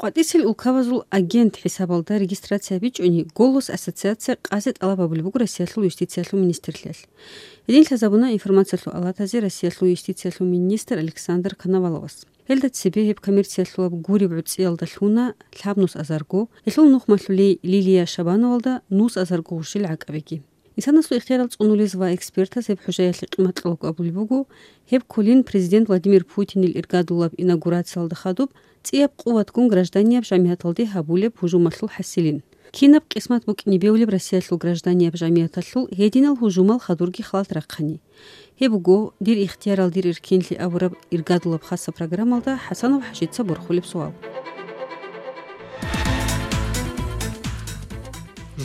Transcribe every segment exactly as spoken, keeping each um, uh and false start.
КъватӀисел улкабазул агент хӀисабалда регистрация бичӀчӀуни, «Голос» ассоциация къазе тӀалаб гьабулеб буго Россиялъул юстициялъул министрлъиялъ. Гьедин лъазабуна информациялъул алатазе Россиялъул юстициялъул министр Александр Коноваловас. Гьелда цебе гьеб коммерциялъулаб гуреб гӀуцӀиялда лъуна лъабнус азарго, гьелъул нухмалъулей Лилия Шабановалда нус азарго гъурщил гӀакӀабиги. Инсанасул ихтиярал цӀунулез ва экспертаз гьеб хӀужаялъе къимат кьолаго абулеб буго, гьеб кколин президент Владимир Путинил иргадулаб инаугурациялда хадуб цӀияб къуватгун гражданияб жамигӀаталде гьабулеб гьужумалъул хӀасилин. Кинаб къисмат букӀине бевлеб Россиялъул гражданияб жамигӀаталъул гьединал гьужумал хадурги халат рахъани? Гьеб буго, дир ихтиярал дир эркенлъи абураб иргадулаб хасаб программалда ХӀасанов ХӀажица борхулеб суал.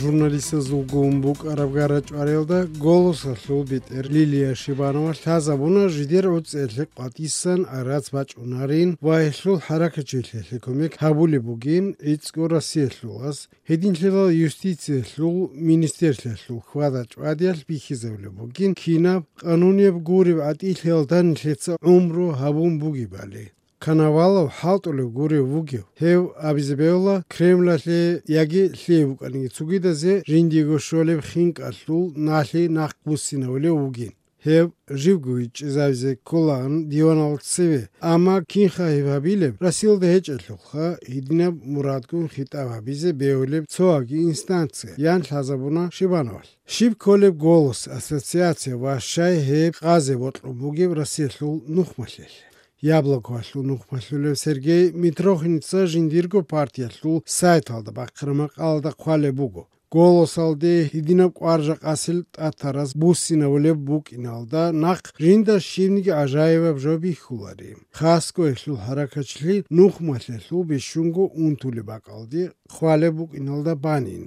Журналистазулгун букӀараб гара-чӀвариялда «Голосалъул» бетӀер Лилия Шибанова лъазабуна жидер гӀуцӀиялъе къватӀисан гӀарац бачӀунарин ва гьелъул хӀаракатчилъиялъе кумек гьабулеб бугин гӀицӀго Россиялъулас, гьединлъидал юстициялъул министрлъиялъул хьвада-чӀвадиялъ бихьизабулеб бугин кинаб къанунияб гуреб гӀатӀилъиялда нилъеца гӀумру гьабун бугебали. Коновалов хӀалтӀулев гурев вугев, гьев абизе бегьула Кремлалъе яги лъие букӀаниги цогидазе жиндиего щолеб хинкӀалъул налъи нахъ буссинавулев вугин. Гьев живго вичӀчӀизавизе кколаан диванал цеве, амма кинха гьеб гьабилеб, Россиялда гьечӀелъулха, гьединаб мурадгун хитӀаб гьабизе бегьулеб цоаги инстанция, ян лъазабуна Шибановалъ. Щиб кколеб «Голос» ассоциация ва щай гьеб къазе бокьун бугеб Россиялъул нухмалъелъ? Яблокоялъул нухмалъулев Сергей Митрохиница жиндирго партиялъул сайталда бахъараб макъалалда хъвалеб буго, «Голосалде» гьединаб кӀвар-жакъасел тӀатараз буссинавулеб букӀиналда нахъ жинда щибниги гӀажаибаб жо бихьулари. Хасго гьелъул хӀаракатчилъи нухмалъелъул бищунго унтулеб бакӀалде хъвалеб букӀиналда банин.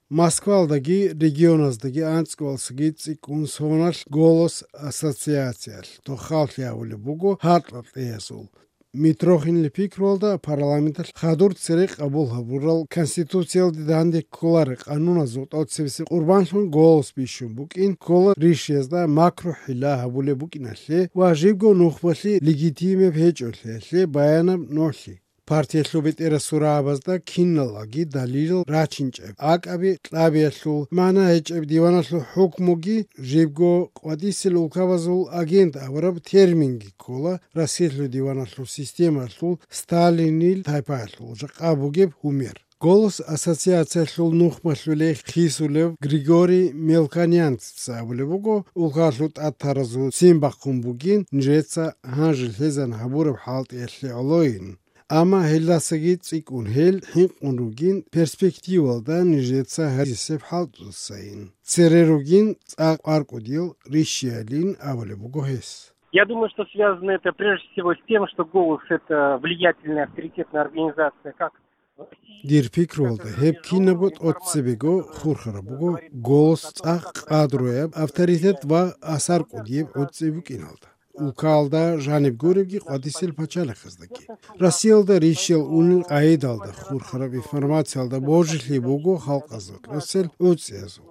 Москвалдаги регионаздаги анцӀгоялдасаги цӀикӀкӀун соналъ «Голос» ассоциациялъ тоххаллъи гьавулеб буго гьаркьа-кьеязул. Митрохинил пикруялда парламенталъ хадур цере къабул гьабурал Конституциялде данде кколарел къануназул тӀоцебесеб къурбанлъун «Голос» бищун букӀин ккола ришиязда макру-хӀилла гьабулеб букӀиналъе ва жибго нухмалъи легитимаб гьечӀолъиялъе баянаб нолъи. Партиялъул бетӀерасул рагӀабазда киналги далилал рачинчӀеб, акӀаби кьабиялъул, магӀна гьечӀеб диваналъул хӀукмуги, жибго къватӀисел улкабазул агент абураб терминги ккола Россиялъул диваналъул системалъул Сталинил тайпаялъул жакъа бугеб гьумер. «Голос» ассоциациялъул нухмалъулей хисулев Григорий Мелконянцца абулеб буго, улкалъул тӀатаразул ццин бахъун бугин нижеца гьанже лъезан гьабураб хӀалтӀиялъе гӀолойин. Амма гьелдасаги цӀикӀкӀун гьел хӀинкъун ругин перспективалда нижеца гьезесеб хӀалтӀудасайин. Цере ругин цӀакъ кӀваркӀудиял ришиялин абулеб буго гьес. Я думаю, что связано это прежде всего с тем, что «Голос» — это влиятельная, авторитетная организация, как в России, Дир пикруялда, гьеб кинабго тӀоцебего хурхараб буго, «Голос» цӀакъ къадруяб, авторитет ва асар кӀудияб гӀуцӀи букӀиналда. Улкалда жаниб гуребги къватӀисел пачалихъаздаги. Россиялда ришиял унел къайдалда хурхараб информациялда божилъи буго халкъазул тӀоцел гӀуцӀиязул.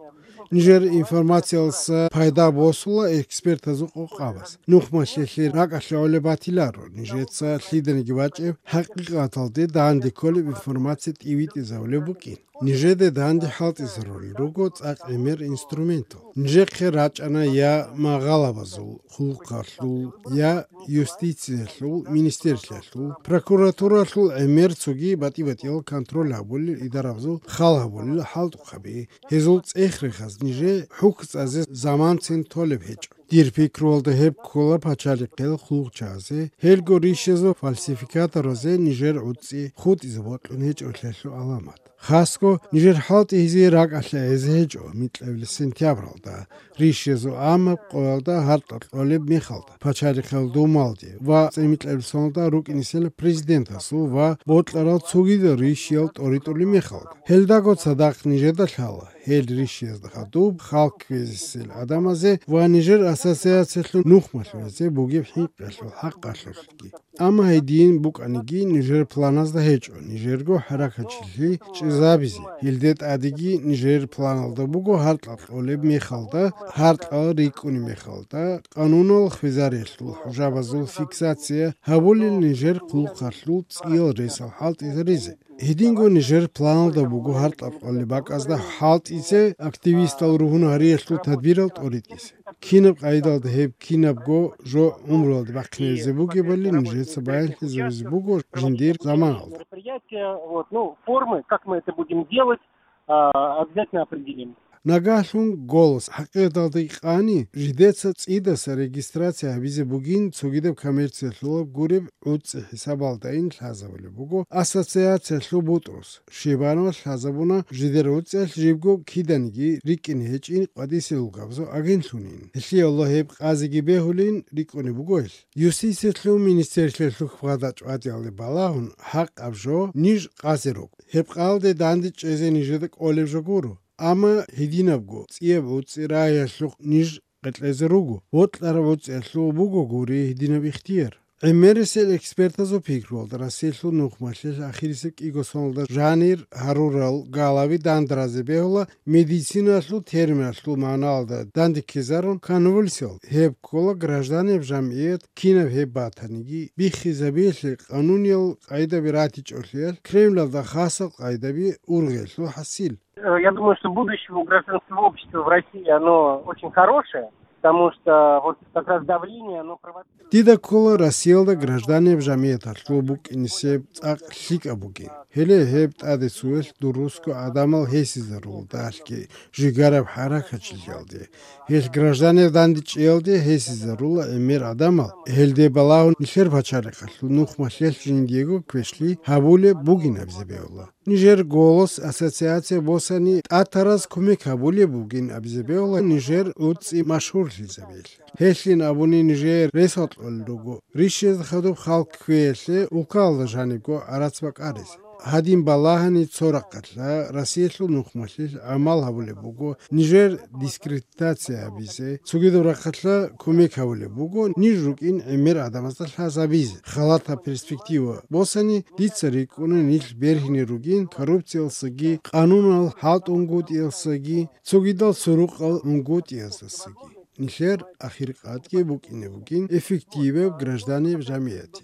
Нижер информациялдаса пайда босула экспертазул къокъабаз. Нухмалъелъе ракӀалъе гӀолеб батиларо, нижеца лъиданиги бачӀеб хӀакъикъаталде данде кколеб информация тӀивитӀизавулеб букӀин. Нижеде данде хӀалтӀизарулел руго цӀакъ гӀемер инструментал. Нижехъе рачӀана я магъалабазул хъулухъалъул, я юстициялъул министерствоялъул, прокуратуралъул гӀемер цоги батӀи-батӀиял контроль гьабулел идарабазул хал гьабулел хӀалтӀухъаби. Гьезул цӀех-рехаз нижее хӀукму цӀазе заманцин толеб гьечӀо. Дир пикруялда, гьеб ккола пачалихъел хъулухъчагӀазе, гьелго ришиязул фальсификаторазе нижер гӀуцӀи хутӀизе бокьун гьечӀолъиялъул гӀаламат. Хасго, нижер хӀалтӀи гьезие ракӀалъе гӀезе гьечӀо, микьабилеб сентябралда, ришиязул гӀамаб къоялда гьаркьа кьолеб мехалда, пачалихъел Думалде ва цӀемикьабилеб соналда рукӀинесел президентасул ва бокьарал цогидал ришиял тӀоритӀулеб мехалда. Гьелдаго цадахъ нижеда лъала гьел ришиязда хадуб хал кквезесел гӀадамазе ва нижер ассоциациялъул нухмалъуразе бугеб хӀинкъиялъул хӀакъалъулъги. Амма гьедин букӀаниги, нижер планазда гьечӀо нижерго хӀаракатчилъи чӀезабизе. Гьелде тӀадеги нижер планалда буго гьаркьа кьолеб мехалда, гьаркьа рикӀкӀунеб мехалда, къанунал хвезариялъул хӀужабазул фиксация гьабулел нижер хъулухъалъул цӀиял ресал хӀалтӀизаризе. Гьединго нижер планалда буго гьаркьа кьолеб бакӀазда хӀалтӀизе, активистал ругьун гьариялъул тадбирал тӀоритӀизе. Кинаб къайдалда гьеб кинабго жо гӀумруялда бахъинезе бугебали нижеца баянлъизабизе буго жиндир заманалда. Мероприятия, вот, ну, формы, как мы это будем делать, а, обязательно определим. Нагагьлъун «Голос» хӀакъикъаталда къани, жидеца цӀидаса регистрация гьабизе бугин цогидаб коммерциялъулаб гуреб гӀуцӀи хӀисабалдайин лъазабулеб буго ассоциациялъул бутӀрус. Шибанов лъазабуна жидер гӀуцӀиялъ жибго киданиги рикӀкӀине гьечӀин къватӀисел габзу агентлъунин. Гьелъие Аллагь гьеб къазиги бегьулин рикӀкӀунеб буго гьелъ. Юстициялъул министерствоялъул хьвада-чӀвадиялде балагьун, хӀакъаб жо ниж къазе руго. Гьеб къалде данде чӀезе нижеда кӀолеб жо гуро. Амма гьединабго цӀияб гӀуцӀи рагьиялъухъ ниж къекълъезе руго. Вокьараб гӀуцӀиялъул буго гури гьединаб ихтияр. ГӀемерисел экспертазул пикруялда, Россиялъул нухмалъилъ ахирисеб кӀиго соналда жанир гьарурал галаби дандаразе бегьула медициналъул терминалъул магӀналда дандеккизарун конвульсиял. Гьеб ккола гражданиял жамгӀият кинаб гьеб батаниги биххизабиялъе къануниял къайдаби ратичӀолъиялъ, Кремлалда хасал къайдаби ургъиялъул хӀасил. Э, я думаю, что будущее у гражданского общества в России, оно очень хорошее, потому что вот как раз давление, оно провоцирует. Дида ккола Россиялда гражданиял жамгӀияталъул букӀинисеб цӀакъ лъикӀаб бугин. Гьеле гьеб тӀаде цоялъ дурусго гӀадамал гьесизарула дагьалъги жигараб хӀаракатчилъиялде. Гьелъ гражданиял дандечӀеялде гьесизарула гӀемер гӀадамал. Гьелде балагьун нилъер пачалихъалъул нухмалъиялъ жиндиего квешлъи гьабулеб бугин абизе бегьула. Нижер «Голос» ассоциация босани тӀатараз кумек гьабулеб бугин абизе бегьула нижер гӀуцӀи машгьурлъизабиялъе. Гьелъин абуни нижер ресал кьолел руго, рищезда хадуб халкъ кквеялъе улкаялда жанибго гӀарац бакӀаризе. Гьадин балагьани цо рахъалъа Россиялъул нухмалъилъ гӀамал гьабулеб буго нижер дискредитация гьабизе, цогидаб рахъалъа кумек гьабулеб буго ниж рукӀин гӀемер гӀадамазда лъазабизе. Халатаб перспектива босани, дица рикӀкӀуна нилъ бергьине ругин коррупциялсаги, къанунал хӀалтӀунгутӀиялсаги, цогидал сурукъал унгутӀиязасаги. Нилъер ахиркъадги букӀине бугин эффективаб гражданиял жамгӀият.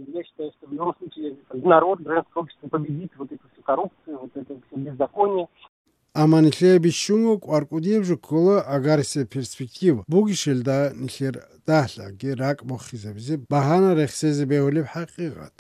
Я считаю, что в любом случае народ, гражданское общество победит вот эту всю коррупцию, вот это всё беззаконие. Амма нилъее бищунго кӀвар кӀудияб жо ккола агарисеб перспектива бугищелда нилъер дагьлъаги ракӀ бохизабизе багьана рехсезе бегьулеб хӀакъикъат.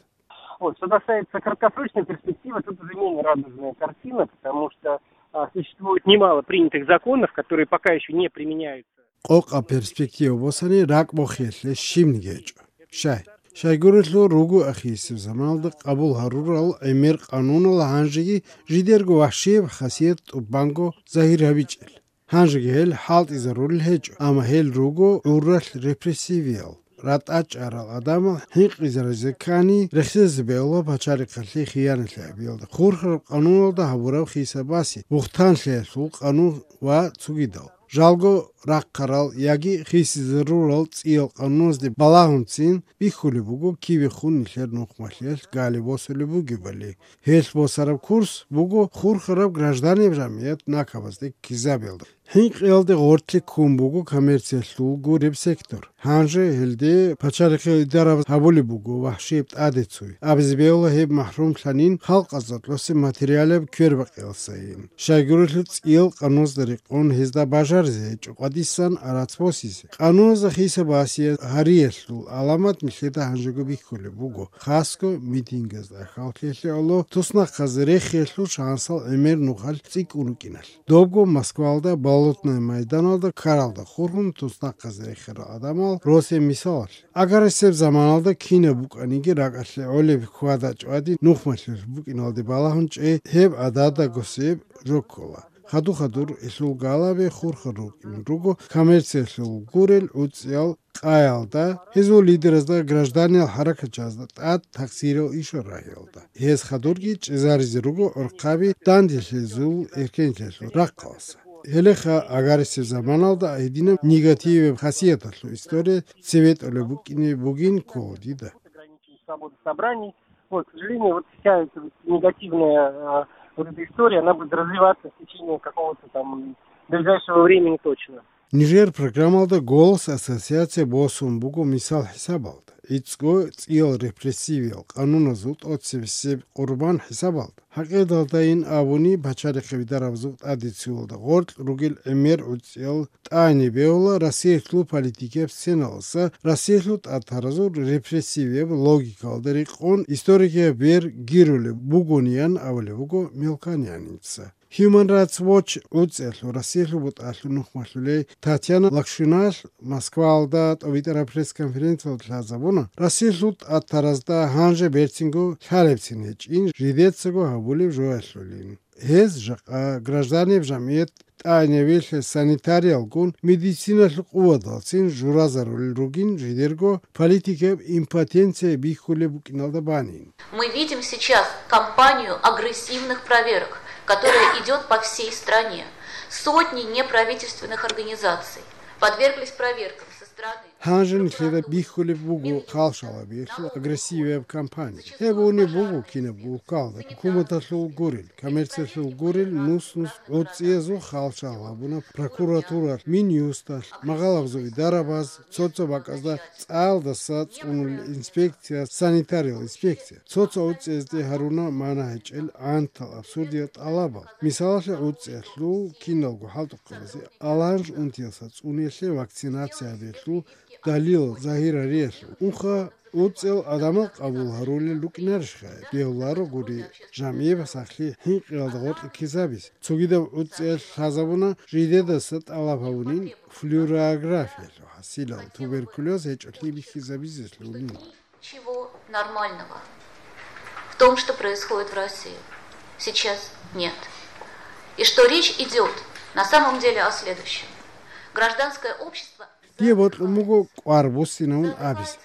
Вот, что касается краткосрочной перспективы, тут уже менее радужная картина, потому что, а, существует немало принятых законов, которые пока ещё не применяются. Къокъа перспектива босани ракӀ бохиялъе щибниги гьечӀо. Щай? Щайгурелъул руго ахирисеб заманалда къабул гьарурал гӀемер къанунал гьанжеги жидерго вахщияб хасият тӀубанго загьир гьабичӀел. Гьанжеги гьел хӀалтӀизарулел гьечӀо, амма гьел руго гӀурралъ репрессивиял, ратӀа чӀарал гӀадамал хӀинкъизаризе ккани, рехсезе бегьула пачалихъалъе хиянатлъи гьабиялда, хурхараб къануналда гьабураб хисабасе, бугьтанлъиялъул къанун ва цогидал. Жалго рахъарал яги хисизарурал цӀиял къануназде балагьунцин бихьулеб буго кибехун нилъер нухмалъиялъ гали босулеб бугебали. Гьелъ босараб курс буго хурхараб гражданиял жамгӀият накабазде ккизабиялда. ХӀинкъиялде гъорлъе ккун буго коммерциялъул гуреб сектор. Гьанже гьелде пачалихъе идарабаз гьабулеб буго вахщияб тӀаде цой. Абизе бегьула гьеб махӀрумлъанин халкъазда кьосе материалаб квербакъиялсайин. Щайгурелъул цӀиял къануназда рекъон гьезда бажаризе гьечӀо къватӀисан гӀарац босизе. Къануназда хисабасе гьариялъул гӀаламат нилъеда гьанжего бихьулеб буго, хасго митингазда хьалхьелъе гӀоло туснахъазе рехиялъул шансал гӀемер нухалъ цӀикӀкӀун рукӀиналъ. Добго Москвалда Болотное майданалда ккаралда хурхун туснахъазе рехарал гӀадамал росен мисалалъ. Агарисеб заманалда кинаб букӀаниги ракӀалъе гӀолеб хьвада-чӀвади нухмалъулъ букӀиналде балагьун чӀей гьеб гӀададагосеб жо ккола. Хадур-хадур гьелъул галаби хурхар рукӀин руго коммерциялъул гурел гӀуцӀиял къаялда, гьезул лидеразда, гражданиял хӀаракатчазда тӀад такъсирал ишал рагьиялда. Гьез хадурги чӀезаризе руго гӀурхъаби данделъизул эркенлъиялъул рахъалъа. Гьелеха агьарисеб заманалда гьединаб негативаб хасияталъул история цебетӀолеб букӀине бугин ккола дида. Свобода собраний. Вот, к сожалению, вот вся эта вот негативная, а, вот эта история, она будет развиваться в течение какого-то там ближайшего времени точно. Нижер программалда «Голос» ассоциация босун буго мисал хӀисабалда, гӀицӀго цӀиял репрессивиял къануназул тӀоцебесеб къурбан хӀисабалда. Гьакъидалдайин абуни, пачалихъе бидарабазул тӀадеццуялда гъоркь ругел гӀемер гӀуцӀиял тӀагӀине бегьула Россиялъул политикияб сценаласа, Россиялъул татаразул репрессивияб логикалда рекъон историкияб бер гирулеб бугониан абулеб буго Мелконяница. Human Rights Watch гӀуцӀиялъул Россиялъул бутӀалъул нухмалъулей Татьяна Лакшиналъ Москваялда тӀобитӀараб пресс-конференциялда лъазабуна, Россиялъул татаразда гьанже берцинго лъалебцин гьечӀин жидецаго гьабулеб жоялъулин. Гьез жакъа гражданиял жамгӀият тӀагӀинабилъе санитариялгун медициналъул къуваталцин журазарулел ругин жидерго политикаб импотенция бихьулеб букӀиналда банин. Мы видим сейчас кампанию агрессивных проверок, которая идёт по всей стране. Сотни неправительственных организаций подверглись проверкам со стороны. Гьанже нилъеда бихьулеб буго халшалабиялъул агрессивияб кампания. Гьеб унеб буго кинаб улкалда, хӀукуматалъул гурел, коммерциялъул гурел нус-нус гӀуцӀиязул халшал гьабуна прокуратуралъ, Минюсталъ, магъалабазул идарабаз, цо-цо бакӀазда цӀалдаса цӀунулел инспекция, санитариял инспекция. Цо-цо гӀуцӀиязде гьаруна мана гьечӀел гӀантал абсурдиял тӀалабал. Мисалалъе, гӀуцӀиялъул киналго хӀалтӀухъабазе аланж унтиялса цӀуниялъе вакцинация гьабиялъул далилал загьир гьариялъул. Унха гӀуцӀиял адамал къабул гьарулел рукӀинарищха? Бегьуларо гури, жамгӀияб сахлъи хӀинкъиялда гъоркье ккезабизе. Цогидаб гӀуцӀиялъ лъазабуна жидедаса тӀалаб гьабунин флюорографиялъул хӀасилал, туберкулез гьечӀолъи бихьизабизелъунин. Ничего нормального в том, что происходит в России, сейчас нет. И что речь идёт на самом деле о следующем. Гражданское общество... Дие бокьун буго кӀвар буссинавун абизе.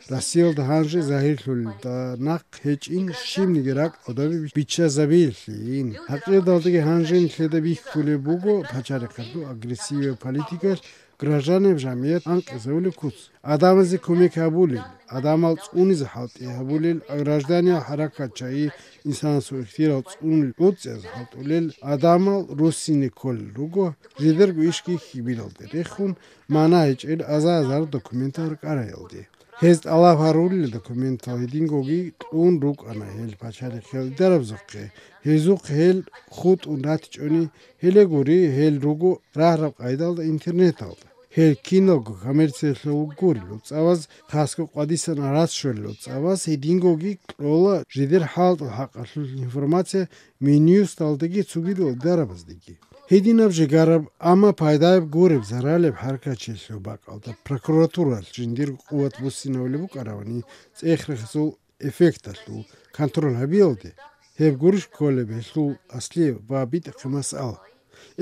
Россиялда гьанже загьирлъулелда нахъ гьечӀин щибниги ракӀ гӀодобе биччазабиялъейин. ГӀакъидалдаги гьанже нилъеда бихьулеб буго пачалихъалъул агрессивияб политикалъ гражданиял жамгӀият анкьизавулеб куц. Адамазе кумек гьабулел, адамал цӀунизе хӀалтӀи гьабулел, гражданиял хӀаракат чагӀи, инсанасул ихтияр цӀунулел гӀуцӀиялъ хӀалтӀулел адамал руссине кколел руго, жидерго ишги хьибилалде рехун, мана гьечӀел аза-азар документал рукӀараялде. Гьез тӀалаб гьарулел документал гьедингоги кьун рукӀана гьел пачалихъ гьелдарабазухъе, гьезухъ гьел хутӀун ратичӀони, гьеле гури, гьел руго рагьараб къайдалда интернеталда. Гьел киналго коммерциялъул гурел гӀуцӀабаз, хасго къвадисан арас щолел гӀуцӀабаз гьедингоги кьола жидер хӀалтӀул хӀакъалъулъ информация Минюсталдаги цогидал дарабаздеги. Гьединаб жегараб, амма пайдаяб гуреб заралеб хӀаракатчилъул бакӀалда прокуратуралъ жиндирго къуват буссинавулеб букӀаравани цӀех-рехсул эффекталъул контроль гьабиялде, гьеб гурищ кколеб гьелъул аслияб ва битӀахъе масъала.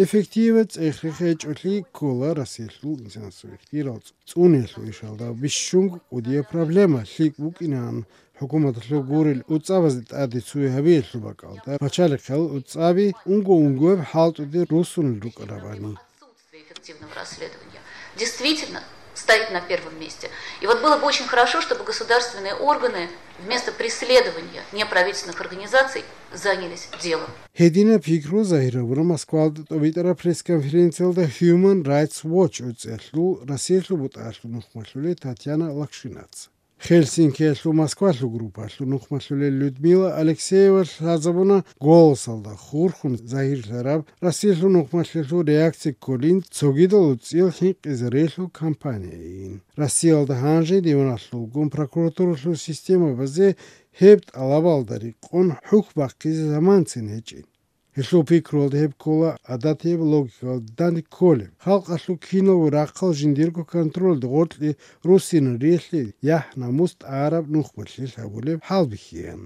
Эффективаб цӀех-рех гьечӀолъи ккола Россиялъул инсанасул ихтияр цӀуниялъул ишалда бищунго кӀудияб проблема, лъикӀ букӀинан хӀукуматалъул гурел гӀуцӀабазде тӀаде цуе гьабиялъул бакӀалда, пачалихъал гӀуцӀаби унго-унгояб хӀалтӀуде руссунел рукӀарабани. Отсутствие эффективного расследования действительно стоит на первом месте. И вот было бы очень хорошо, чтобы государственные органы вместо преследования неправительственных организаций занялись делом. Гьединаб пикру загьир гьабуна Москвалда тӀобитӀараб пресс-конференциялда Human Rights Watch гӀуцӀиялъул Россиялъул бутӀалъул нухмалъулей Татьяна Лакшинаца. Хельсинкиялъул Москвалъул группалъул нухмалъулел Людмила Алексеева лъазабуна «Голосалда» хурхун загьирлъараб Россиялъул нухмалъулъул реакция кколин цогидал гӀуцӀиял хӀинкъизарелъул кампанияйин. Россиялда гьанже диваналъулгун прокуратуралъул системабазе гьеб тӀалабалда рекъон хӀухь бахъизе заманцин гьечӀин. Гьелъул пикруялда гьеб ккола гӀадатияб логикалда данде кколеб, халкъалъул киналго рахъал жиндирго контрольда гъоркье руссинариялъе яхӀ-намус тӀараб нухмалъилъ гьабулеб хӀалбихьеян.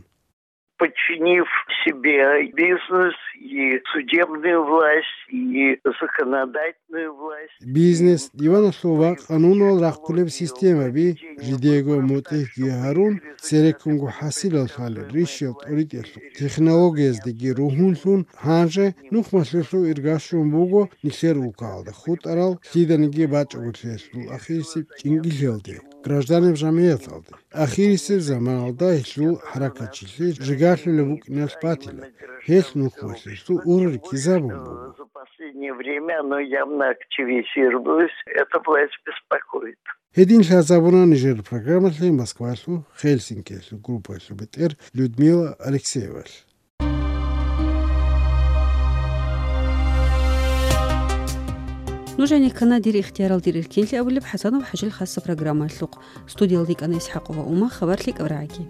Подчинив себе бизнес и судебную власть, и законодательную власть. Бизнес, диваналъул ва къанунал рахъулеб системаби, жидего мутӀигӀги гьарун, цереккунго хӀасилал лъалел рищал тӀоритӀелъул технологияздеги ругьунлъун, гьанже нухмалъулъул иргащун буго нилъер улкаялда хутӀарал лъиданиги бачӀого лъиялъул ахирисеб чӀингилъиялде, гражданаб жамигӀаталде. Ахирисеб заманалда гьелъул хӀаракатчилъи жигалъулеб букӀиналъ батила. Гьелъ нухмалъулъул ургъи ккезабун буго. За последнее время оно явно активизировалось. Эта власть беспокоит. Гьедин лъазабуна нижер программалъе Москвалъул Хельсинкиялъул группаялъул бетӀер Людмила Алексеевалъ. Нуж гьанир ккана «Дир ихтиярал, дир эркинлъи» абулеб ХӀасанов ХӀажил хасса программаялъухъ. Студиялда йикӀана ИсхӀакъова Ума, хабар лъикӀаб рагӀаги.